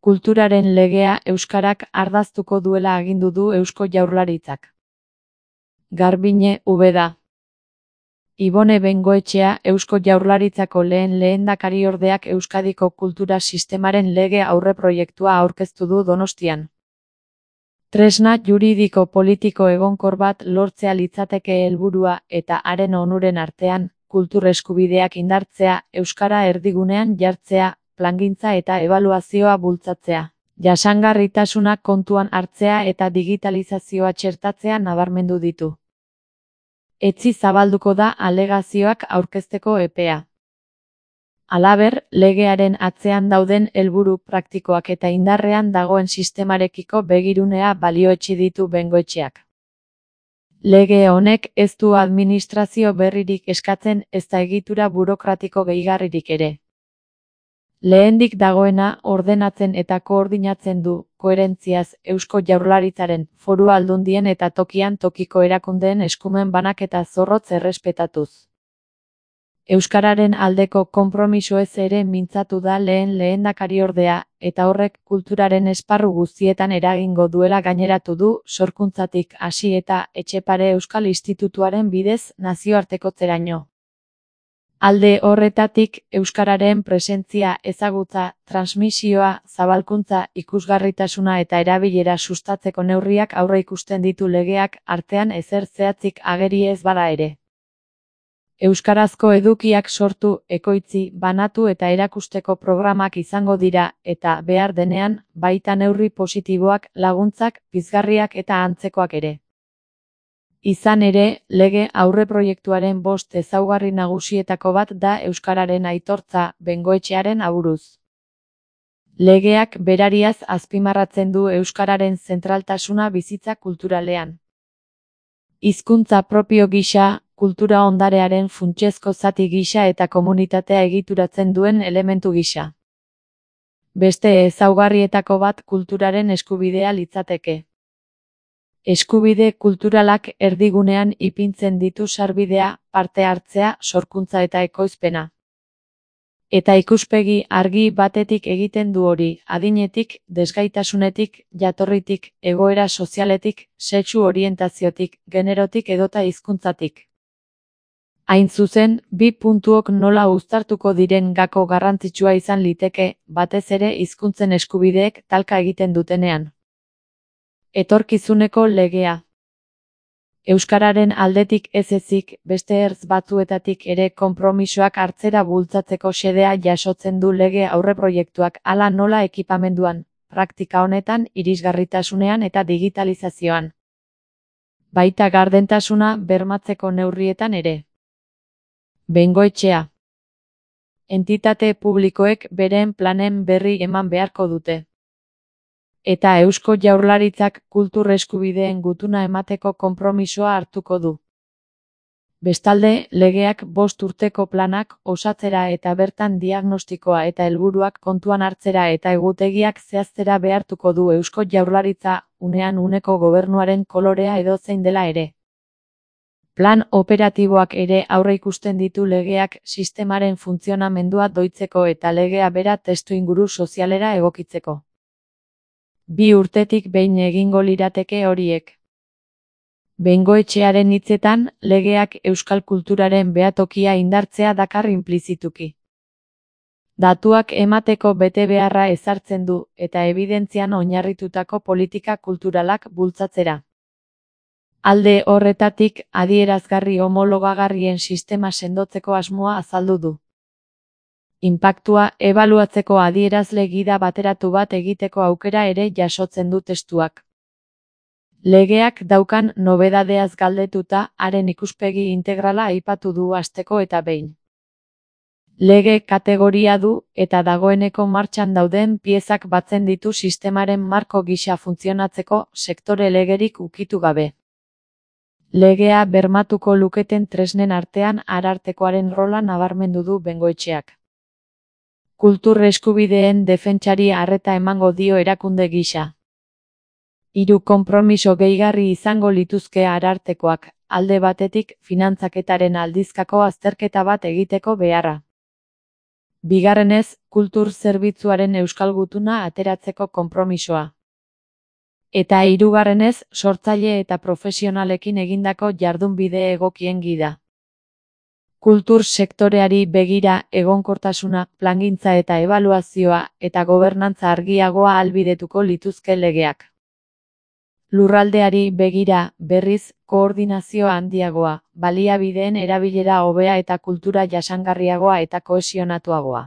Kulturaren legea euskarak ardaztuko duela agindu du Eusko Jaurlaritzak. Garbiñe, Ubeda. Ibone Bengoetxea Eusko Jaurlaritzako lehen lehendakariordeak Euskadiko kultura sistemaren lege aurreproiektua aurkeztu du Donostian. Tresna juridiko politiko egonkor bat lortzea litzateke helburua eta haren onuren artean, kultur eskubideak indartzea, euskara erdigunean jartzea, plangintza eta ebaluazioa bultzatzea, jasangarritasuna kontuan hartzea eta digitalizazioa txertatzea nabarmendu ditu. Etzi zabalduko da alegazioak aurkezteko epea. Halaber, legearen atzean dauden helburu praktikoak eta indarrean dagoen sistemarekiko begirunea balioetsi ditu Bengoetxeak. Lege honek ez du administrazio berririk eskatzen ezta egitura burokratiko gehigarririk ere. Lehendik dagoena ordenatzen eta koordinatzen du, koherentziaz, Eusko Jaurlaritzaren, Foru Aldundien eta tokian tokiko erakundeen eskumen banaketa zorrotz errespetatuz. Euskararen aldeko konpromisoez ere mintzatu da lehendakariordea, eta horrek kulturaren esparru guztietan eragingo duela gaineratu du, sorkuntzatik hasi eta Etxepare Euskal Institutuaren bidez nazioartekotzeraino. Alde horretatik, euskararen presentzia, ezagutza, transmisioa, zabalkuntza, ikusgarritasuna eta erabilera sustatzeko neurriak aurreikusten ditu legeak, artean ezer zehatzik ageri ez bada ere. Euskarazko edukiak sortu, ekoitzi, banatu eta erakusteko programak izango dira, eta, behar denean, baita neurri positiboak, laguntzak, pizgarriak eta antzekoak ere. Izan ere, lege aurreproiektuaren 5 ezaugarri nagusietako bat da euskararen aitortza, Bengoetxearen aburuz. Legeak berariaz azpimarratzen du euskararen zentraltasuna bizitza kulturalean. Hizkuntza propio gisa, kultura ondarearen funtsezko zati gisa eta komunitatea egituratzen duen elementu gisa. Beste ezaugarrietako bat kulturaren eskubidea litzateke. Eskubide kulturalak erdigunean ipintzen ditu sarbidea, parte hartzea, sorkuntza eta ekoizpena. Eta ikuspegi argi batetik egiten du hori, adinetik, desgaitasunetik, jatorritik, egoera sozialetik, sexu orientaziotik, generotik edota hizkuntzatik. Hain zuzen, 2 puntuok nola uztartuko diren gako garrantzitsua izan liteke, batez ere hizkuntzen eskubideek talka egiten dutenean. Etorkizuneko legea. Euskararen aldetik ez ezik, beste ertz batzuetatik ere konpromisoak hartzera bultzatzeko xedea jasotzen du lege aurreproiektuak hala nola ekipamenduan, praktika honetan, irisgarritasunean eta digitalizazioan. Baita gardentasuna bermatzeko neurrietan ere. Bengoetxea. Entitate publikoek beren planen berri eman beharko dute. Eta Eusko Jaurlaritzak kultur eskubideen gutuna emateko konpromisoa hartuko du. Bestalde, legeak 5 urteko planak osatzera eta bertan diagnostikoa eta helburuak kontuan hartzera eta egutegiak zehaztera behartuko du Eusko Jaurlaritza, unean uneko gobernuaren kolorea edozein dela ere. Plan operatiboak ere aurreikusten ditu legeak sistemaren funtzionamendua doitzeko eta legea bera testuinguru sozialera egokitzeko. 2 urtetik behin egingo lirateke horiek. Bengoetxearen hitzetan, legeak euskal kulturaren behatokia indartzea dakar inplizituki. Datuak emateko betebeharra ezartzen du, eta ebidentzian oinarritutako politika kulturalak bultzatzera. Alde horretatik, adierazgarri homologagarrien sistema sendotzeko asmoa azaldu du. Inpaktua ebaluatzeko adierazle gida bateratu bat egiteko aukera ere jasotzen du testuak. Legeak daukan nobedadeaz galdetuta, haren ikuspegi integrala aipatu du hasteko eta behin. Lege kategoria du, eta dagoeneko martxan dauden piezak batzen ditu sistemaren marko gisa funtzionatzeko sektore legerik ukitu gabe. Legea bermatuko luketen tresnen artean arartekoaren rola nabarmendu du Bengoetxeak. Kultur eskubideen defentsari arreta emango dio erakunde gisa. 3 konpromiso gehigarri izango lituzke arartekoak, alde batetik finantzaketaren aldizkako azterketa bat egiteko beharra. Bigarrenez, kultur zerbitzuaren euskal gutuna ateratzeko konpromisoa. Eta hirugarrenez, sortzaile eta profesionalekin egindako jardunbide egokien gida. Kultur sektoreari begira egonkortasuna, plangintza eta ebaluazioa eta gobernantza argiagoa ahalbidetuko lituzke legeak. Lurraldeari begira, berriz, koordinazio handiagoa, baliabideen erabilera hobea eta kultura jasangarriagoa eta kohesionatuagoa.